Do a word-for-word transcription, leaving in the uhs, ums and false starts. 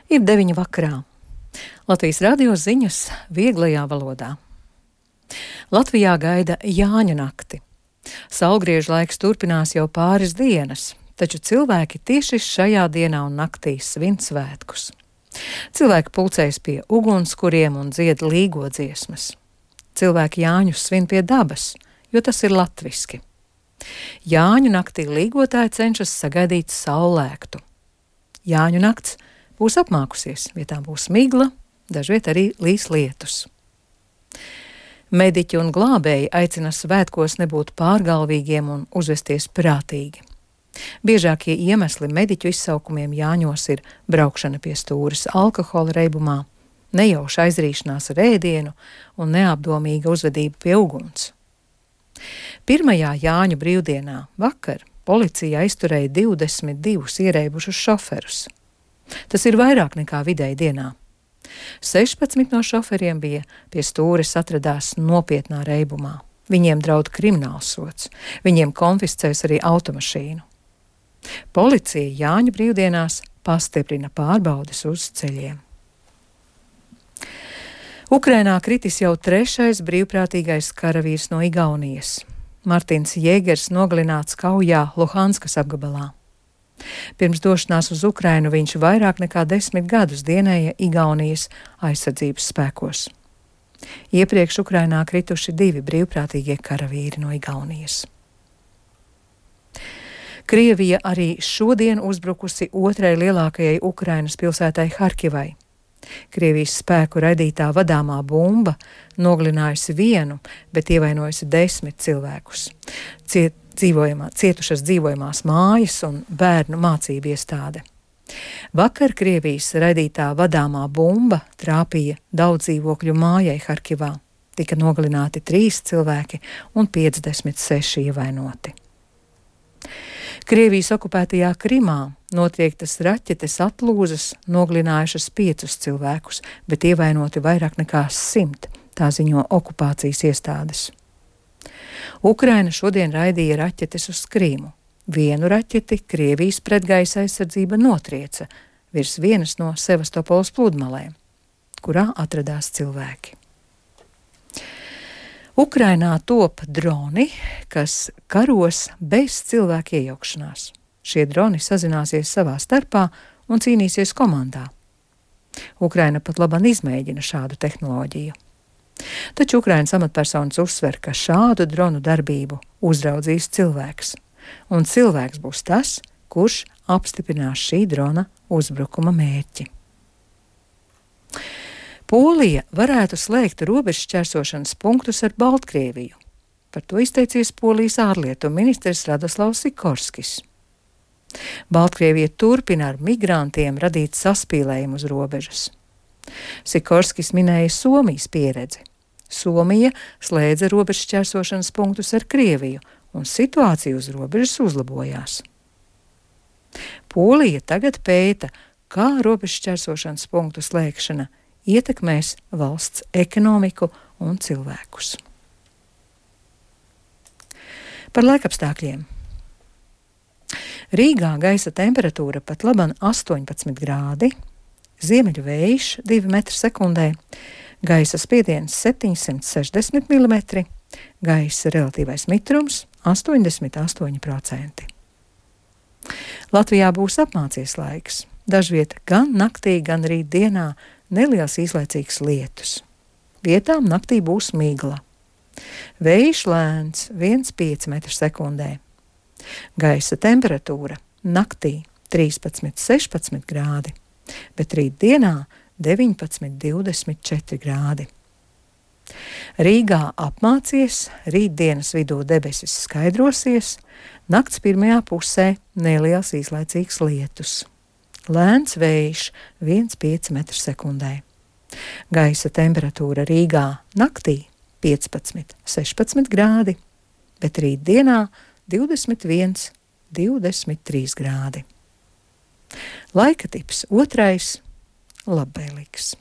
Ir deviņi vakarā. Latvijas radio ziņas vieglajā valodā. Latvijā gaida Jāņu nakti. Saulgriežu laiks turpinās jau pāris dienas, taču cilvēki tieši šajā dienā un naktī svin svētkus. Cilvēki pulcējas pie ugunskuriem un dzied līgo dziesmas. Cilvēki Jāņus svin pie dabas, jo tas ir latviski. Jāņu naktī līgotāji cenšas sagaidīt saulēktu. Jāņu nakts būs apmākusies, vietām būs migla, dažviet arī līs lietus. Mediķi un glābēji aicina svētkos nebūt pārgalvīgiem un uzvesties prātīgi. Biežākie iemesli mediķu izsaukumiem Jāņos ir braukšana pie stūres alkohola reibumā, nejauša aizrīšanās ar ēdienu un neapdomīga uzvedība pie uguns. Pirmajā Jāņu brīvdienā vakar policija aizturēja divdesmit divus ierēbušus šoferus. Tas ir vairāk nekā vidēji dienā. sešpadsmit no šoferiem bija pie stūres atradās nopietnā reibumā. Viņiem draud kriminālsods. Viņiem konfiscēs arī automašīnu. Policija Jāņu brīvdienās pastiprina pārbaudes uz ceļiem. Ukrainā kritis jau trešais brīvprātīgais karavīrs no Igaunijas. Martins Jēgers nogalināts kaujā Luhanskas apgabalā. Pirms došanās uz Ukrainu viņš vairāk nekā desmit gadus dienēja Igaunijas aizsardzības spēkos. Iepriekš Ukrainā krituši divi brīvprātīgie karavīri no Igaunijas. Krievija arī šodien uzbrukusi otrai lielākajai Ukrainas pilsētai Harkivai. Krievijas spēku raidītā vadāmā bumba nogalinājusi vienu, bet ievainojusi desmit cilvēkus. Ciet, dzīvojamā, cietušas dzīvojamās mājas un bērnu mācību iestāde. Vakar Krievijas raidītā vadāmā bumba trāpīja daudz dzīvokļu mājai Harkivā. Tika nogalināti trīs cilvēki un piecdesmit seši ievainoti. Krievijas okupētajā Krimā notriektas raķetes atlūzas nogalinājušas piecus cilvēkus, bet ievainoti vairāk nekā simt, tā ziņo okupācijas iestādes. Ukraina šodien raidīja raķetes uz Krīmu. Vienu raķeti Krievijas pretgaisa aizsardzība notrieca virs vienas no Sevastopoles pludmalēm, kurā atradās cilvēki. Ukrainā top droni, kas karos bez cilvēku iejaukšanās. Šie droni sazināsies savā starpā un cīnīsies komandā. Ukraina pat labāk izmēģina šādu tehnoloģiju. Taču Ukrainas amatpersonas uzsver, ka šādu dronu darbību uzraudzīs cilvēks, un cilvēks būs tas, kurš apstiprinās šī drona uzbrukuma mērķi. Polija varētu slēgt robežšķērsošanas punktus ar Baltkrieviju. Par to izteicies Polijas ārlietu ministrs Radoslavs Sikorskis. Baltkrievija turpina ar migrantiem radīt saspīlējumu uz robežas. Sikorskis minēja Somijas pieredzi. Somija slēdza robežšķērsošanas punktus ar Krieviju, un situācija uz robežas uzlabojās. Polija tagad pēta, kā robežšķērsošanas punktu slēgšana ietekmēs valsts ekonomiku un cilvēkus. Par laikapstākļiem. Rīgā gaisa temperatūra pat laban astoņpadsmit grādi, ziemeļu vējš divi metri sekundē, gaisa spiediens septiņsimt sešdesmit milimetri, gaisa relatīvais mitrums astoņdesmit astoņi procenti. Latvijā būs apmācies laiks. Dažviet gan naktī, gan rīt dienā neliels īslaicīgs lietus. Vietām naktī būs migla. Vējš lēns viens komats pieci metri sekundē. Gaisa temperatūra naktī trīspadsmit sešpadsmit grādi, bet rīt dienā deviņpadsmit divdesmit četri grādi. Rīgā apmācies, rītdienas vidū debesis skaidrosies, nakts pirmajā pusē neliels īslaicīgs lietus. Lēns vējš viens komats pieci metri sekundē. Gaisa temperatūra Rīgā naktī piecpadsmit sešpadsmit grādi, bet rīt dienā divdesmit viens divdesmit trīs grādi. Laika tips otrais - labvēlīgs.